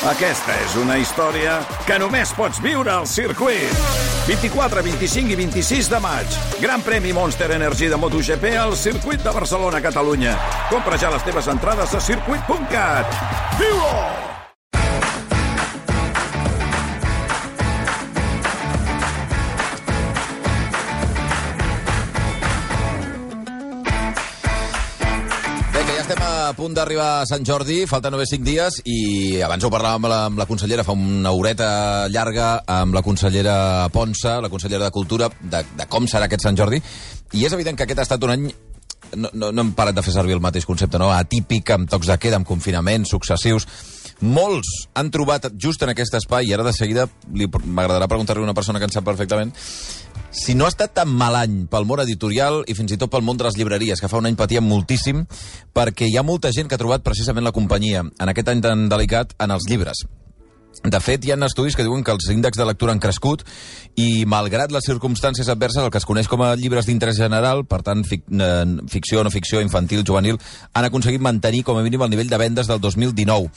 Aquesta és una història que només pots viure al circuit. 24, 25 i 26 de maig. Gran premi Monster Energy de MotoGP al circuit de Barcelona, Catalunya. Compra ja les teves entrades a circuit.cat. Viu-ho! Estem a punt d'arribar a Sant Jordi, falten només 5 dies i abans ho parlàvem amb la consellera fa una horeta llarga amb la consellera Ponsa, la consellera de Cultura, de com serà aquest Sant Jordi, i és evident que aquest ha estat un any, no hem parat de fer servir el mateix concepte, no? Atípic, amb tocs de queda, amb confinaments successius. Molts han trobat just en aquest espai, i ara de seguida m'agradarà preguntar-li a una persona que en sap perfectament, si no ha estat tan mal any pel món editorial i fins i tot pel món de les llibreries, que fa un any patíem moltíssim, perquè hi ha molta gent que ha trobat precisament la companyia en aquest any tan delicat en els llibres. De fet, hi ha estudis que diuen que els índexs de lectura han crescut i, malgrat les circumstàncies adverses, el que es coneix com a llibres d'interès general, per tant, ficció, no ficció, infantil, juvenil, han aconseguit mantenir com a mínim el nivell de vendes del 2019.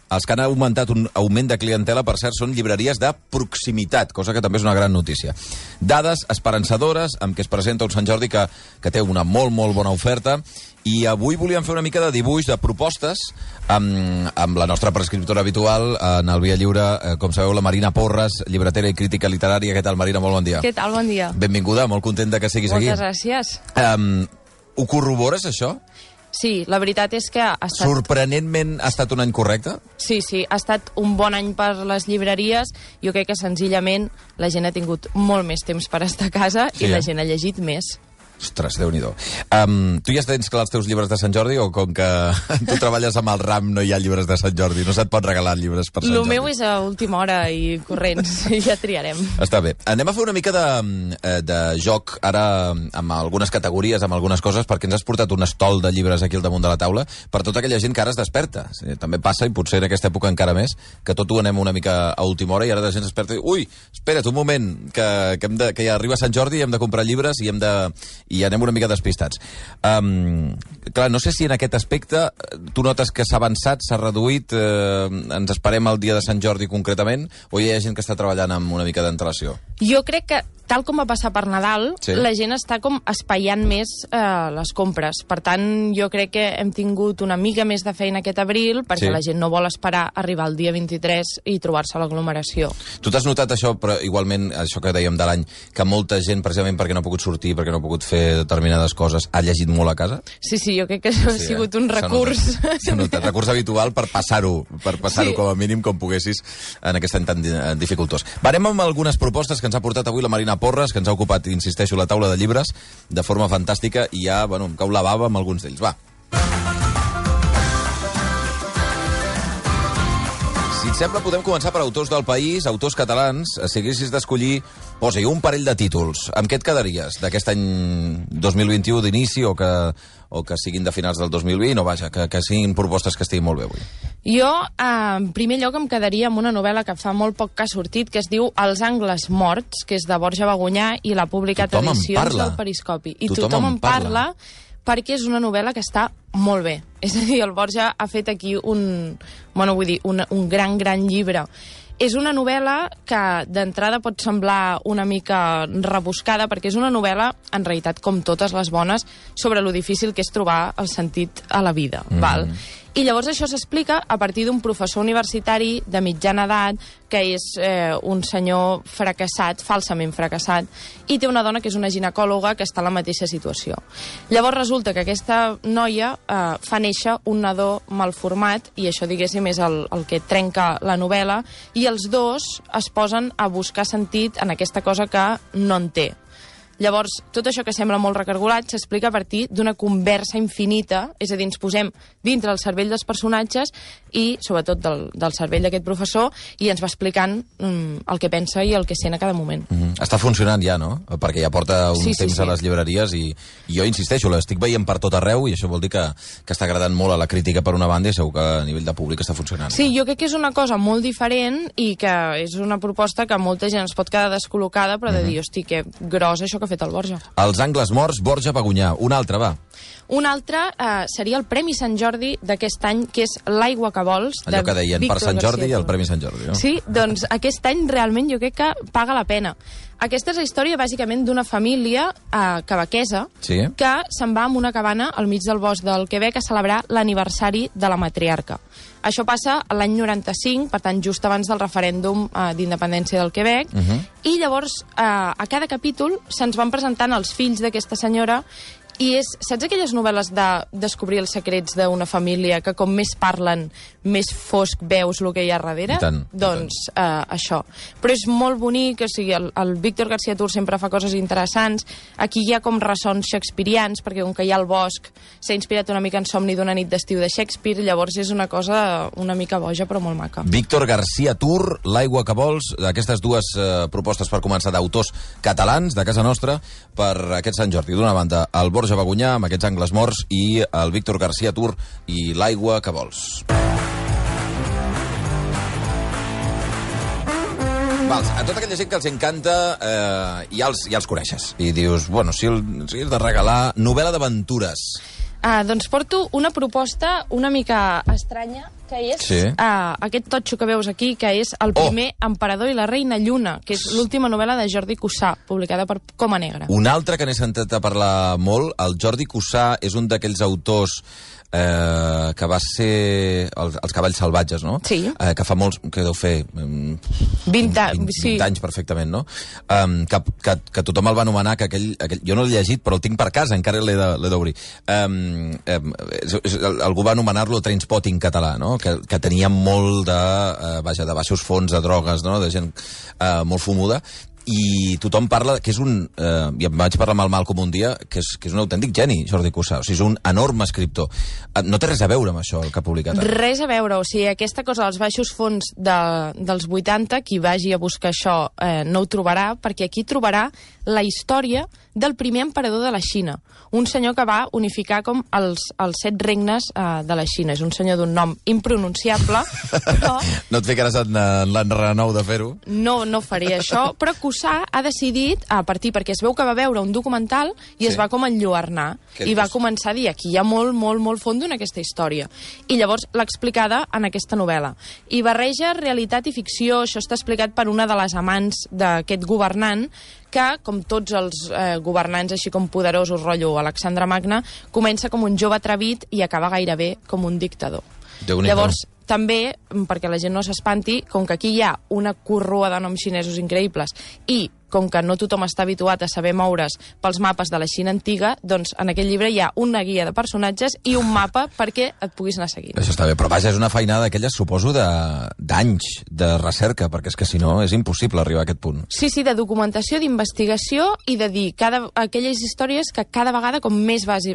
Els que han augmentat un augment de clientela, per cert, són llibreries de proximitat, cosa que també és una gran notícia. Dades esperançadores, amb què es presenta un Sant Jordi que té una molt bona oferta, i avui volíem fer una mica de dibuix, de propostes, amb la nostra prescriptora habitual, en el Via Lliure, com sabeu, la Marina Porres, llibretera i crítica literària. Què tal, Marina? Molt bon dia. Què tal? Bon dia. Benvinguda, molt contenta que siguis aquí. Moltes gràcies. Ho corrobores, això? Sí, la veritat és que ha estat... Sorprenentment ha estat un any correcte? Sí, ha estat un bon any per les llibreries. Jo crec que senzillament la gent ha tingut molt més temps per estar a casa i la gent ha llegit més. Ostres, Déu-n'hi-do. Tu ja tens clar els teus llibres de Sant Jordi, o com que tu treballes amb el RAM no hi ha llibres de Sant Jordi? No se't pot regalar llibres per Sant Jordi? El meu és a última hora i corrents, ja triarem. Està bé. Anem a fer una mica de joc ara amb algunes categories, amb algunes coses, perquè ens has portat un estol de llibres aquí al damunt de la taula per tota aquella gent que ara es desperta. També passa, i potser en aquesta època encara més, que tot ho anem una mica a última hora i ara la gent es desperta i ui, espera't un moment, que ja arriba Sant Jordi i hem de comprar llibres i anem una mica despistats. Clar, no sé si en aquest aspecte tu notes que s'ha avançat, s'ha reduït, ens esperem el dia de Sant Jordi concretament, o hi ha gent que està treballant amb una mica d'antelació? Jo crec que, tal com va passar per Nadal, la gent està com espaiant més les compres. Per tant, jo crec que hem tingut una mica més de feina aquest abril, perquè la gent no vol esperar arribar el dia 23 i trobar-se a l'aglomeració. Tu t'has notat això, però igualment, això que dèiem de l'any, que molta gent, precisament perquè no ha pogut sortir, perquè no ha pogut fer determinades coses, ha llegit molt a casa? Sí, jo crec que això ha sigut un recurs. S'ha notat. Recurs habitual per passar-ho com a mínim com poguessis en aquest any tan dificultós. Varem amb algunes propostes que ens ha portat avui la Marina Porres, que ens ha ocupat, insisteixo, la taula de llibres de forma fantàstica, i ja, em cau la bava amb alguns d'ells. Va. Si et sembla, podem començar per autors del país, autors catalans. Si haguessis d'escollir, posa-hi un parell de títols. Amb què et quedaries d'aquest any 2021 d'inici, o que siguin de finals del 2020, o vaja, que siguin propostes que estiguin molt bé avui? Jo, en primer lloc, em quedaria amb una novel·la que fa molt poc que ha sortit, que es diu Els angles morts, que és de Borja Bagonyà i l'ha publicat Edicions del Periscopi. I tothom en parla perquè és una novel·la que està molt bé. És a dir, el Borja ha fet aquí un gran llibre. És una novel·la que d'entrada pot semblar una mica rebuscada, perquè és una novel·la, en realitat, com totes les bones, sobre lo difícil que és trobar el sentit a la vida. Val? I llavors això s'explica a partir d'un professor universitari de mitjana edat, que és un senyor fracassat, falsament fracassat, i té una dona que és una ginecòloga que està en la mateixa situació. Llavors resulta que aquesta noia fa néixer un nadó malformat, i això, diguéssim, és el que trenca la novel·la, i els dos es posen a buscar sentit en aquesta cosa que no en té. Llavors, tot això que sembla molt recargolat s'explica a partir d'una conversa infinita, és a dir, ens posem dintre el cervell dels personatges i, sobretot, del cervell d'aquest professor, i ens va explicant el que pensa i el que sent a cada moment. Està funcionant ja, no? Perquè ja porta un temps a les llibreries i jo insisteixo, l'estic veient per tot arreu i això vol dir que està agradant molt a la crítica per una banda i segur que a nivell de públic està funcionant. Sí, jo crec que és una cosa molt diferent i que és una proposta que molta gent es pot quedar descol·locada, però de dir, hosti, que gros això que ha fet el Borja. Els angles morts, Borja Bagunyà. Un altre, va. Un altre seria el Premi Sant Jordi d'aquest any, que és l'Aigua que vols. Allò que deien per Sant Jordi i el Premi Sant Jordi, no? Sí, doncs aquest any realment jo crec que paga la pena. Aquesta és la història, bàsicament, d'una família quebequesa que se'n va amb una cabana al mig del bosc del Quebec a celebrar l'aniversari de la matriarca. Això passa l'any 95, per tant, just abans del referèndum d'independència del Quebec, i llavors a cada capítol se'ns van presentant els fills d'aquesta senyora. I saps aquelles novel·les de descobrir els secrets d'una família que com més parlen, més fosc veus el que hi ha darrere? Doncs això. Però és molt bonic, o sigui, el Víctor García Tur sempre fa coses interessants. Aquí hi ha com ressons shakespearians, perquè com que hi ha el bosc, s'ha inspirat una mica en Somni d'una nit d'estiu de Shakespeare, llavors és una cosa una mica boja, però molt maca. Víctor García Tur, L'Aigua que vols, aquestes dues propostes per començar d'autors catalans de casa nostra per aquest Sant Jordi. D'una banda, el Borja Bagunyà, amb aquests angles morts, i el Víctor García Tur i L'Aigua que vols. Vals, a tota aquella gent que els encanta ja els coneixes. I dius, bueno, si és de regalar novel·la d'aventures. Doncs porto una proposta una mica estranya, que és aquest totxo que veus aquí, que és El primer emperador i la reina Lluna, que és l'última novel·la de Jordi Cussà, publicada per Coma Negra. Un altre que n'he sentit a parlar molt, el Jordi Cussà és un d'aquells autors que va ser els Cavalls salvatges, no? Sí. Que fa molts, que deu fer 20 anys perfectament, no? Que tothom el va anomenar, que aquell jo no l'he llegit, però el tinc per casa, encara l'he d'obrir. Algú va anomenar-lo Trainspotting català, no? Que tenia molt de baixos fons de drogues, no? De gent molt fumuda. I tothom parla que és un... I em vaig parlar amb el Malcom un dia, que és un autèntic geni, Jordi Cussà. O sigui, és un enorme escriptor. No té res a veure amb això, el que ha publicat. Res a veure. O sigui, aquesta cosa dels baixos fons dels 80, qui vagi a buscar això no ho trobarà, perquè aquí trobarà la història del primer emperador de la Xina. Un senyor que va unificar com els 7 regnes de la Xina. És un senyor d'un nom impronunciable, però... No et ficaràs en l'enrenou de fer-ho? No faré això, però Cussà ha decidit, a partir, perquè es veu que va veure un documental i es va com enlluernar, i va començar a dir, aquí hi ha molt fondo en aquesta història. I llavors l'ha explicada en aquesta novel·la. I barreja realitat i ficció, això està explicat per una de les amants d'aquest governant, que, com tots els governants així com poderosos, rotllo Alexandre Magne, comença com un jove atrevit i acaba gairebé com un dictador. Llavors, també, perquè la gent no s'espanti, com que aquí hi ha una corrua de noms xinesos increïbles i com que no tothom està habituat a saber moure's pels mapes de la Xina antiga, doncs en aquest llibre hi ha una guia de personatges i un mapa perquè et puguis anar seguint. Això està bé, però vaja, és una feinada d'aquelles, suposo, d'anys de recerca, perquè és que si no és impossible arribar a aquest punt. Sí, de documentació, d'investigació i de dir aquelles històries que cada vegada com més vas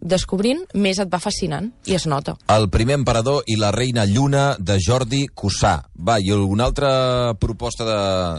descobrint, més et va fascinant, i es nota. El primer emperador i la reina Lluna, de Jordi Cussà. Va, i alguna altra proposta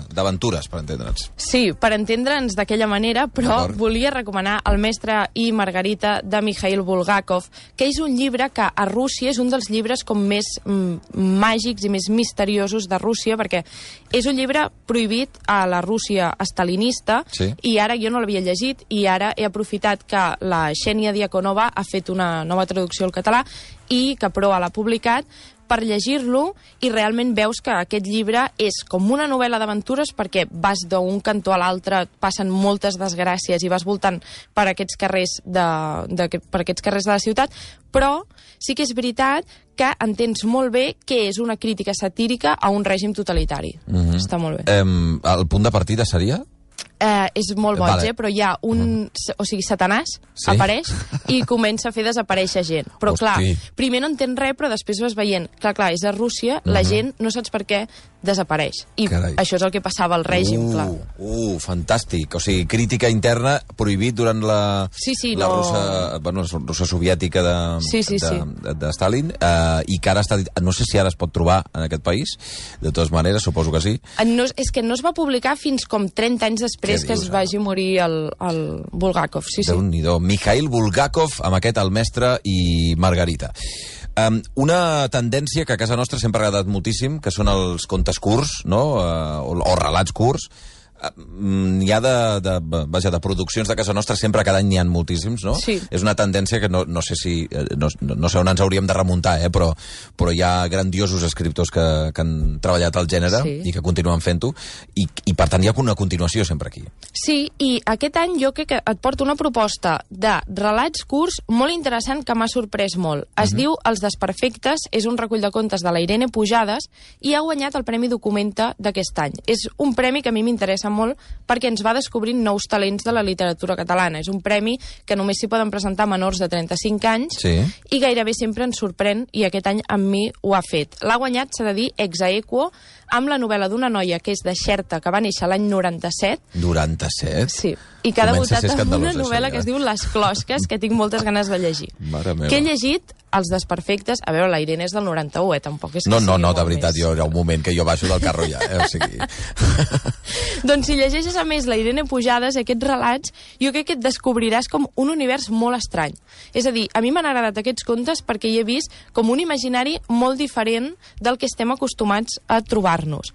d'aventures, per entendre'ns? Sí, per entendre'ns d'aquella manera, però volia recomanar El mestre i Margarita, de Mikhail Bulgakov, que és un llibre que a Rússia és un dels llibres com més màgics i més misteriosos de Rússia, perquè és un llibre prohibit a la Rússia estalinista, i ara jo no l'havia llegit, i ara he aprofitat que la Xènia Diakonova ha fet una nova traducció al català i que Proa l'ha publicat per llegir-lo, i realment veus que aquest llibre és com una novel·la d'aventures, perquè vas d'un cantó a l'altre, passen moltes desgràcies i vas voltant per aquests carrers de la ciutat, però sí que és veritat que entens molt bé que és una crítica satírica a un règim totalitari. Està molt bé. El punt de partida seria? És molt boig, però hi ha un... O sigui, Satanàs apareix i comença a fer desaparèixer gent. Però, clar, primer no entens res, però després vas veient... Clar, és a Rússia, la gent, no saps per què, desapareix. I això és el que passava al règim, clar. Fantàstic. O sigui, crítica interna prohibit durant la Rússia soviètica de Stalin, i que ara està... No sé si ara es pot trobar en aquest país, de totes maneres, suposo que sí. És que no es va publicar fins com 30 anys després que es vagi morir el Bulgakov. Déu-n'hi-do. Mikhail Bulgakov, amb aquest El mestre i Margarita. Una tendència que a casa nostra sempre ha agradat moltíssim, que són els contes curts, no? O relats curts. N'hi ha de produccions de casa nostra, sempre cada any n'hi ha moltíssims, no? Sí. És una tendència que no sé si... No sé on ens hauríem de remuntar, però hi ha grandiosos escriptors que han treballat al gènere i que continuen fent-ho, i per tant hi ha una continuació sempre aquí. Sí, i aquest any jo crec que et porto una proposta de relats curts molt interessant que m'ha sorprès molt. Es diu Els desperfectes, és un recull de contes de la Irene Pujades i ha guanyat el Premi Documenta d'aquest any. És un premi que a mi m'interessa molt perquè ens va descobrint nous talents de la literatura catalana. És un premi que només s'hi poden presentar menors de 35 anys i gairebé sempre ens sorprèn, i aquest any amb mi ho ha fet. L'ha guanyat, s'ha de dir, ex aequo, amb la novel·la d'una noia que és de Xerta, que va néixer l'any 97. 97? Sí. I que ha debutat amb una novel·la que es diu Les closques, que tinc moltes ganes de llegir. Mare meva. Que he llegit Els desperfectes... A veure, la Irene és del 91, tampoc és que No, de veritat, jo hi ha un moment que jo baixo del carro ja, o sigui... Doncs si llegeixes a més la Irene Pujades, aquests relats, jo crec que et descobriràs com un univers molt estrany. És a dir, a mi m'han agradat aquests contes perquè hi he vist com un imaginari molt diferent del que estem acostumats a trobar-nos.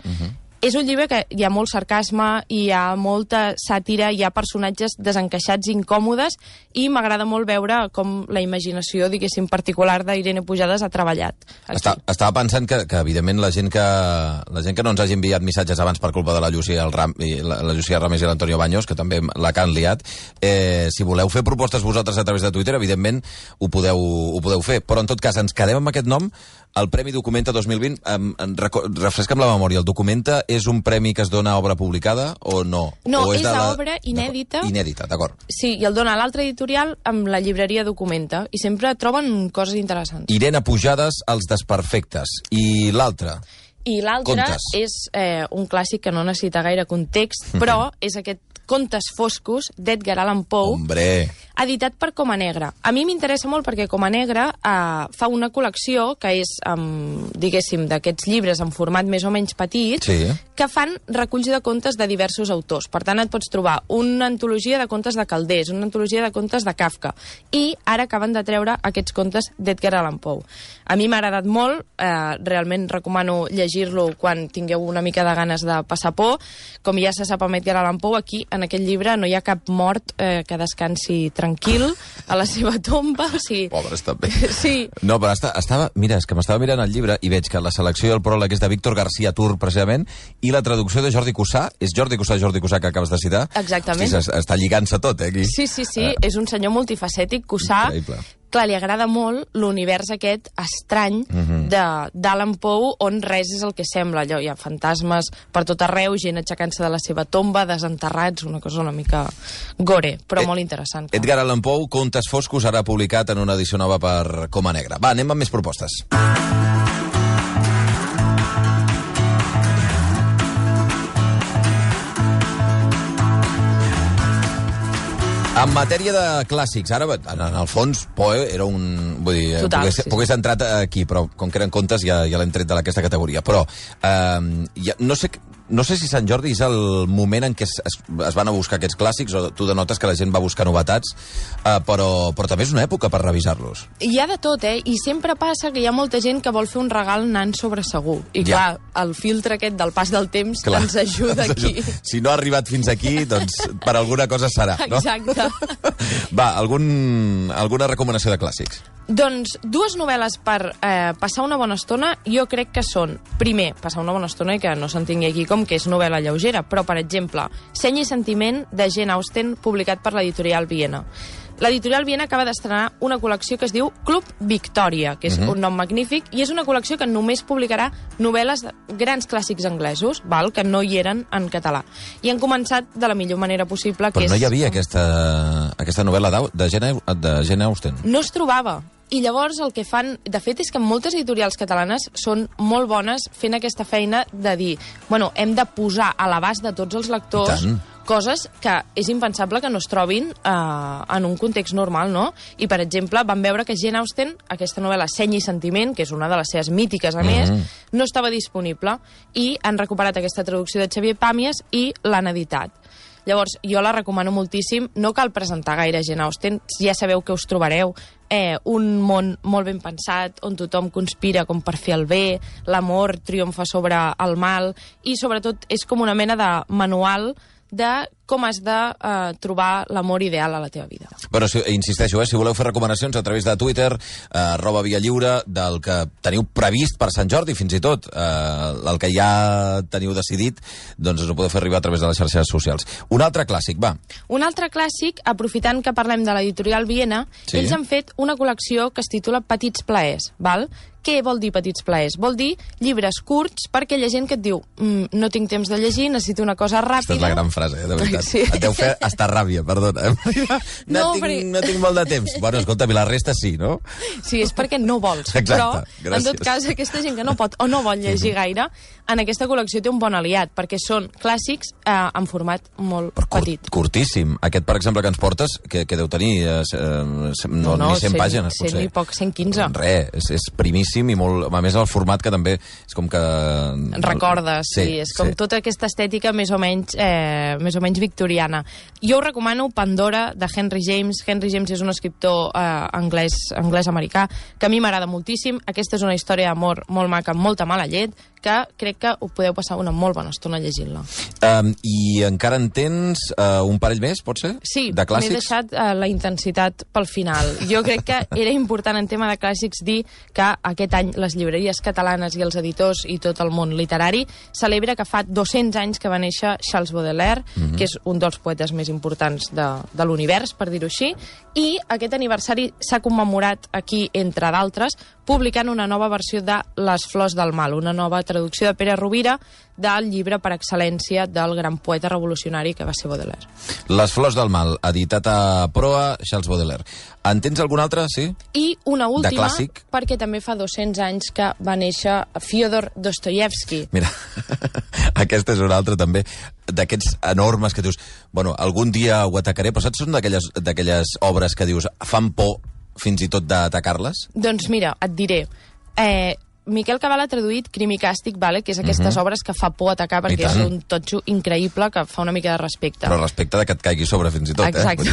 És un llibre que hi ha molt sarcasme, hi ha molta sàtira, hi ha personatges desencaixats, incòmodes, i m'agrada molt veure com la imaginació, diguéssim, particular d'Irene Pujades ha treballat. Estava pensant que evidentment, la gent que no ens hagi enviat missatges abans per culpa de la Llucia Ramis i l'Antonio Baños, que també la que han liat, si voleu fer propostes vosaltres a través de Twitter, evidentment ho podeu fer. Però, en tot cas, ens quedem amb aquest nom, el Premi Documenta 2020. Refresca'm la memòria, el Documenta és un premi que es dona a obra publicada o no? No, és d'obra inèdita. Inèdita, d'acord. Sí, i el dona l'altre editorial amb la llibreria Documenta, i sempre troben coses interessants. Irene Pujades, Els desperfectes. I l'altre? I l'altre és un clàssic que no necessita gaire context, però és aquest Contes foscos, d'Edgar Allan Poe, editat per Coma Negra. A mi m'interessa molt perquè Coma Negra fa una col·lecció que és, diguéssim, d'aquests llibres en format més o menys petit, que fan reculls de contes de diversos autors. Per tant, et pots trobar una antologia de contes de Calders, una antologia de contes de Kafka, i ara acaben de treure aquests contes d'Edgar Allan Poe. A mi m'ha agradat molt, realment recomano llegir-lo quan tingueu una mica de ganes de passar por. Com ja se sap amb Edgar Allan Poe, aquí en aquest llibre no hi ha cap mort que descansi tranquil a la seva tomba. O sigui... Pobres, també. Sí. No, però mira, és que m'estava mirant el llibre i veig que la selecció del pròleg és de Víctor García Tur, precisament, i la traducció de Jordi Cussà. És Jordi Cussà que acabes de citar? Exactament. Hosti, està lligant-se tot, aquí. Sí, és un senyor multifacètic, Cussà. Increïble. Clar, li agrada molt l'univers aquest estrany d'Allan Poe, on res és el que sembla. Allò, hi ha fantasmes per tot arreu, gent aixecant-se de la seva tomba, desenterrats, una cosa una mica gore, però molt interessant. Clar. Edgar Allan Poe, Contes foscos, ara publicat en una edició nova per Coma Negra. Va, anem amb més propostes. En matèria de clàssics, ara, en el fons, Poe era un... Vull dir, pogués entrat aquí, però com que eren contes ja l'hem tret d'aquesta categoria. Però no sé si Sant Jordi és el moment en què es van a buscar aquests clàssics, o tu denotes que la gent va buscar novetats, però també és una època per revisar-los. Hi ha de tot, i sempre passa que hi ha molta gent que vol fer un regal anant sobre segur. I clar, el filtre aquest del pas del temps ens ajuda aquí. Si no ha arribat fins aquí, doncs per alguna cosa serà, no? Exacte. Va, alguna recomanació de clàssics? Doncs dues novel·les per passar una bona estona, jo crec que són, primer, passar una bona estona i que no s'entengui aquí com que és novel·la lleugera, però, per exemple, Seny i sentiment, de Jane Austen, publicat per l'editorial Viena. L'editorial Viena acaba d'estrenar una col·lecció que es diu Club Victòria, que és un nom magnífic, i és una col·lecció que només publicarà novel·les de grans clàssics anglesos, que no hi eren en català. I han començat de la millor manera possible. Però no hi havia aquesta novel·la de Jane Austen? No es trobava. I llavors el que fan, de fet, és que moltes editorials catalanes són molt bones fent aquesta feina de dir, bueno, hem de posar a l'abast de tots els lectors coses que és impensable que no es trobin en un context normal, no? I, per exemple, vam veure que Jane Austen, aquesta novel·la Seny i sentiment, que és una de les seves mítiques, a més, no estava disponible, i han recuperat aquesta traducció de Xavier Pàmies i l'han editat. Llavors, jo la recomano moltíssim. No cal presentar gaire Jane Austen, ja sabeu que us trobareu un món molt ben pensat, on tothom conspira com per fer el bé, l'amor triomfa sobre el mal, i sobretot és com una mena de manual de com has de trobar l'amor ideal a la teva vida. Però insisteixo, si voleu fer recomanacions a través de Twitter, @ViaLliure, del que teniu previst per Sant Jordi, fins i tot el que ja teniu decidit, doncs us ho podeu fer arribar a través de les xarxes socials. Un altre clàssic, va. Un altre clàssic, aprofitant que parlem de l'editorial Viena, ells han fet una col·lecció que es titula Petits plaers, val? Què vol dir petits plaers? Vol dir llibres curts per aquella gent que et diu no tinc temps de llegir, necessito una cosa ràpida. Aquesta és la gran frase, de veritat. Sí. Et deu fer estar ràbia, perdona. No tinc molt de temps. Bueno, escolta, la resta sí, no? Sí, és perquè no vols. Exacte, però, gràcies. En tot cas, aquesta gent que no pot o no vol llegir gaire, en aquesta col·lecció té un bon aliat, perquè són clàssics en format molt petit. Curtíssim. Aquest, per exemple, que ens portes, que deu tenir ni 100 pàgines, potser. 100 i poc, 115. Res, és primíssim i molt... A més, el format que també és com que... Recordes, sí. És com tota aquesta estètica més o menys victoriana. Jo us recomano Pandora, de Henry James. Henry James és un escriptor anglès-americà que a mi m'agrada moltíssim. Aquesta és una història d'amor molt maca, amb molta mala llet, que crec que ho podeu passar una molt bona estona llegint-la. I encara en tens un parell més, pot ser? Sí, de clàssics? M'he deixat la intensitat pel final. Jo crec que era important en tema de clàssics dir que aquest any les llibreries catalanes i els editors i tot el món literari celebra que fa 200 anys que va néixer Charles Baudelaire, que és un dels poetes més importants de l'univers, per dir-ho així, i aquest aniversari s'ha commemorat aquí, entre d'altres, publicant una nova versió de Les flors del mal, una nova traducció de Pere Rovira del llibre per excel·lència del gran poeta revolucionari que va ser Baudelaire. Les flors del mal, editat a Proa, Charles Baudelaire. En tens algun altre, sí? I una última, perquè també fa 200 anys que va néixer Fyodor Dostoyevsky. Mira, aquesta és una altra també, d'aquests enormes que dius, bueno, algun dia ho atacaré, però saps, són d'aquelles obres que dius, fan por fins i tot d'atacar-les? Doncs mira, et diré... Miquel Cabal ha traduït Crim i Càstig, que és aquestes obres que fa por atacar perquè és un totxo increïble que fa una mica de respecte. Però respecte que et caigui sobre fins i tot, Exacte.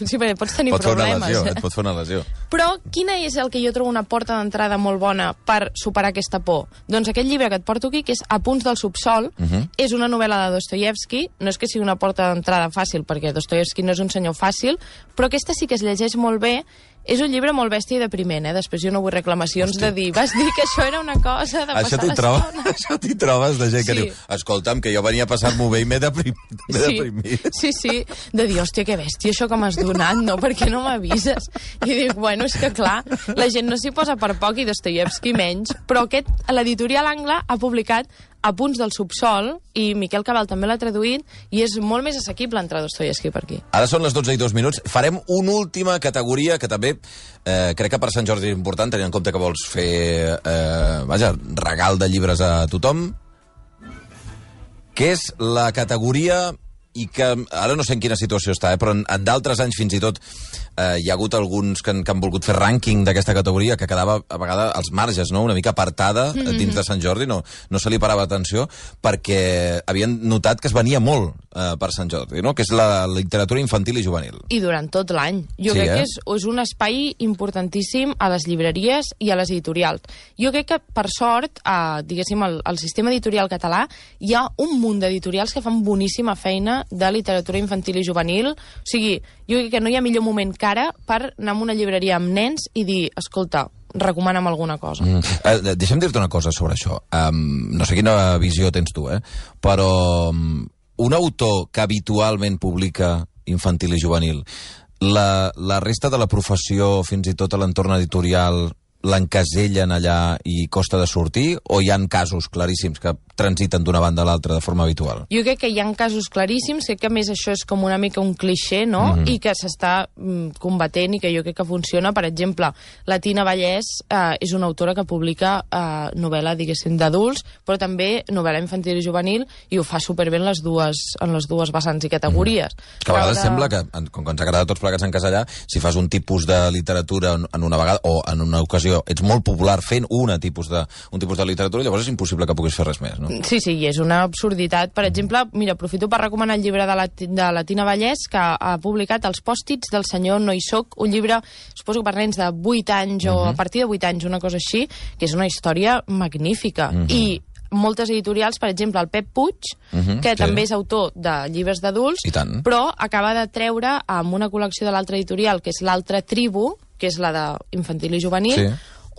Sí, perquè pots tenir problemes. Et pot fer una lesió. Però quina és el que jo trobo una porta d'entrada molt bona per superar aquesta por? Doncs aquest llibre que et porto aquí, que és Apunts del subsol, és una novel·la de Dostoyevsky. No és que sigui una porta d'entrada fàcil, perquè Dostoyevsky no és un senyor fàcil, però aquesta sí que es llegeix molt bé. És un llibre molt bèstia i depriment, Després jo no vull reclamacions de dir, vas dir que això era una cosa de passar l'estona. Això t'hi trobes de gent que diu, escolta'm, que jo venia a passar-m'ho bé i m'he deprimit. Sí, de dir, hòstia, que bèstia això que m'has donat, no? Per què no m'avises? I dic, bueno, és que clar, la gent no s'hi posa per poc i Dostoyevsky menys, però l'editorial Angla ha publicat Apunts del subsol, i Miquel Cabal també l'ha traduït, i és molt més assequible entrar Dostoyevsky per aquí. Ara són les 12:02. Farem una última categoria que també crec que per Sant Jordi és important, tenint en compte que vols fer regal de llibres a tothom, que és la categoria, i que ara no sé en quina situació està, però en d'altres anys fins i tot hi ha hagut alguns que han volgut fer rànquing d'aquesta categoria, que quedava a vegades als marges, no? Una mica apartada dins de Sant Jordi, no se li parava atenció, perquè havien notat que es venia molt per Sant Jordi, no? Que és la literatura infantil i juvenil. I durant tot l'any. Jo crec que és un espai importantíssim a les llibreries i a les editorials. Jo crec que, per sort, diguéssim, al sistema editorial català hi ha un munt d'editorials que fan boníssima feina de literatura infantil i juvenil. O sigui, jo crec que no hi ha millor moment que ara per anar a una llibreria amb nens i dir, escolta, recomana'm alguna cosa. Deixa'm dir-te una cosa sobre això. No sé quina visió tens tu, però un autor que habitualment publica infantil i juvenil, la resta de la professió, fins i tot a l'entorn editorial, l'encasellen allà i costa de sortir, o hi han casos claríssims que transiten d'una banda a l'altra de forma habitual? Jo crec que hi ha casos claríssims, crec que a més això és com una mica un clixé, no? I que s'està combatent i que jo crec que funciona. Per exemple, la Tina Vallès és una autora que publica novel·la, diguéssim, d'adults, però també novel·la infantil i juvenil, i ho fa superbé en les dues vessants i categories. Que a vegades sembla que, com que ens agrada tots plegats encasellar, si fas un tipus de literatura en una vegada, o en una ocasió, ets molt popular fent un tipus de literatura, llavors és impossible que puguis fer res més, no? Sí, i és una absurditat. Per exemple, mira, aprofito per recomanar el llibre de la Tina Vallès, que ha publicat Els pòstits del senyor No hi soc, un llibre, suposo que per nens de 8 anys o a partir de 8 anys, una cosa així, que és una història magnífica. I moltes editorials, per exemple, el Pep Puig, que també és autor de llibres d'adults, però acaba de treure amb una col·lecció de l'altra editorial, que és l'Altra Tribu, que és la d'infantil i juvenil,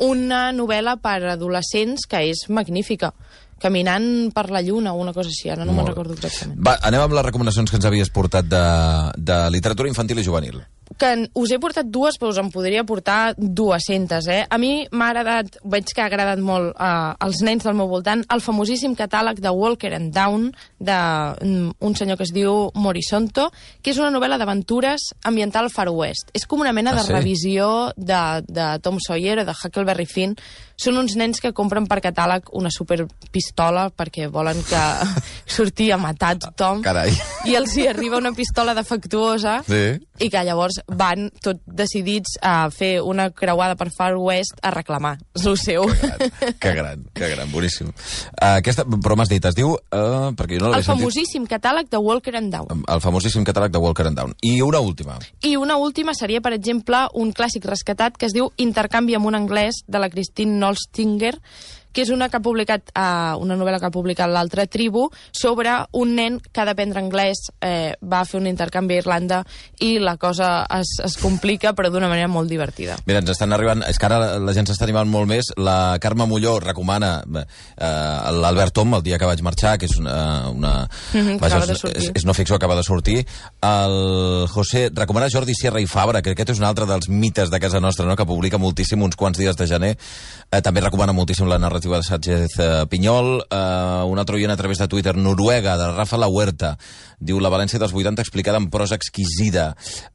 una novel·la per adolescents que és magnífica. Caminant per la lluna o una cosa així, ara no me'n recordo exactament. Va, anem amb les recomanacions que ens havies portat de literatura infantil i juvenil. Que us he portat dues, però us en podria portar 200, A mi m'ha agradat, veig que ha agradat molt als nens del meu voltant, el famosíssim catàleg de Walker and Down, d'un senyor que es diu Morisonto, que és una novel·la d'aventures ambiental Far West. És com una mena de revisió de Tom Sawyer o de Huckleberry Finn. Són uns nens que compren per catàleg una superpistola perquè volen que surti a matar tothom. Carai. I els hi arriba una pistola defectuosa i que llavors van tot decidits a fer una creuada per Far West a reclamar el seu. Que gran, boníssim. Però m'has dit, es diu... perquè jo no el famosíssim catàleg de Walker and Down. El famosíssim catàleg de Walker and Down. I una última. I una última seria, per exemple, un clàssic rescatat que es diu Intercanvi amb un anglès, de la Christine Nolstinger, que és una novel·la que ha publicat l'Altra Tribu, sobre un nen que ha d'aprendre anglès, va fer un intercanvi a Irlanda i la cosa es complica, però d'una manera molt divertida. Mira, ens estan arribant... És que ara la gent s'està animant molt més. La Carme Molló recomana l'Albert Tom, El dia que vaig marxar, que és és no ficció, acaba de sortir. El José recomana Jordi Sierra i Fabra, que aquest és un altre dels mites de casa nostra, no?, que publica moltíssim uns quants dies de gener. També recomana moltíssim la narrativa de Sánchez Pinyol. Un altre oient a través de Twitter, Noruega, de Rafa La Huerta, diu la València dels 80 explicada en prosa exquisida.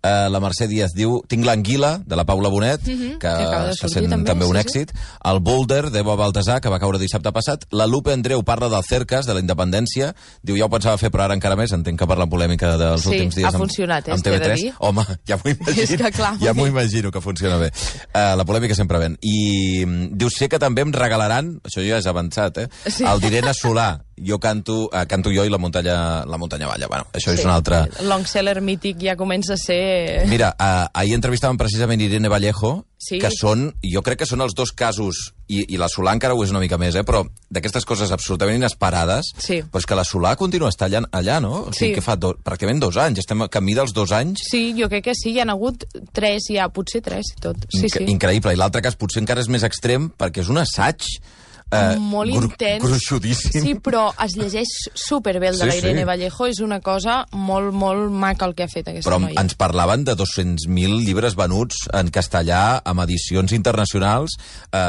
La Mercè Díaz diu Tinc l'anguila, de la Paula Bonet, que està sent també un èxit. El Boulder, d'Eva Baltasar, que va caure dissabte passat. La Lupe Andreu parla del Cercas, de la independència. Diu, ja ho pensava fer, però ara encara més. Entenc que per la polèmica dels últims dies ha funcionat, amb TV3. Home, ja m'ho imagino. Ja m'ho imagino que funciona bé. La polèmica sempre ven. I diu, sé que també em regalaran, això ja és avançat, el d'Irene Solà. Jo canto jo i la muntanya balla. Bueno, això és un altre... Long seller mític ja comença a ser... Mira, ahir entrevistàvem precisament Irene Vallejo, que són, jo crec que són els dos casos, i la Solà encara ho és una mica més, però d'aquestes coses absolutament inesperades, però és que la Solà continua estant allà, no? O sigui, que fa pràcticament 2 anys, estem a camí dels 2 anys. Sí, jo crec que sí, hi ha hagut 3 ja, potser 3 i tot. Increïble, i l'altre cas potser encara és més extrem, perquè és un assaig molt intens. Gruixudíssim. Sí, però es llegeix superbé el de la Irene Vallejo. És una cosa molt, molt maca el que ha fet aquesta noia. Però ens parlaven de 200.000 llibres venuts en castellà amb edicions internacionals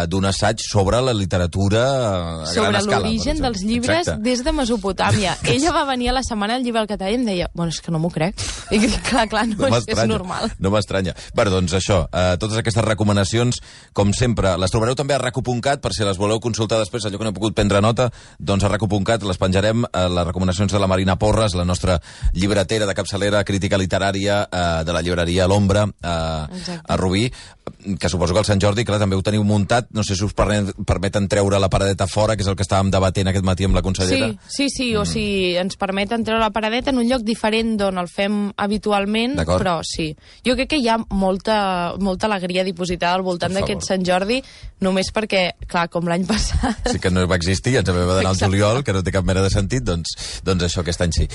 d'un assaig sobre la literatura a gran escala. Sobre l'origen dels llibres des de Mesopotàmia. Ella va venir a la setmana del llibre al català i em deia, bueno, és que no m'ho crec. I clar, no és normal. No m'estranya. Bé, doncs això, totes aquestes recomanacions, com sempre, les trobareu també a raco.cat, per si les voleu consultar després, allò que no he pogut prendre nota, doncs a raco.cat les penjarem, les recomanacions de la Marina Porres, la nostra llibretera de capçalera, crítica literària de la llibreria L'Ombra, a Rubí, que suposo que el Sant Jordi, clar, també ho teniu muntat, no sé si us permeten treure la paradeta fora, que és el que estàvem debatent aquest matí amb la consellera. Sí, o sigui, ens permeten treure la paradeta en un lloc diferent d'on el fem habitualment, però sí. Jo crec que hi ha molta alegria dipositada al voltant d'aquest Sant Jordi, només perquè, clar, com l'any passat... Sí que no va existir, ens vam d'anar al juliol, que no té cap mena de sentit, doncs això aquest any sí.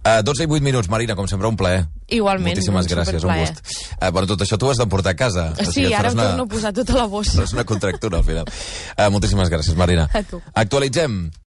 12 i 8 minuts, Marina, com sempre un plaer. Igualment, moltíssimes gràcies, un gust. Bueno, tot això tu has d'emportar a casa. Sí, ara em torno a posar tota la bossa. És una contractura, al final. Moltíssimes gràcies, Marina. A tu. Actualitzem.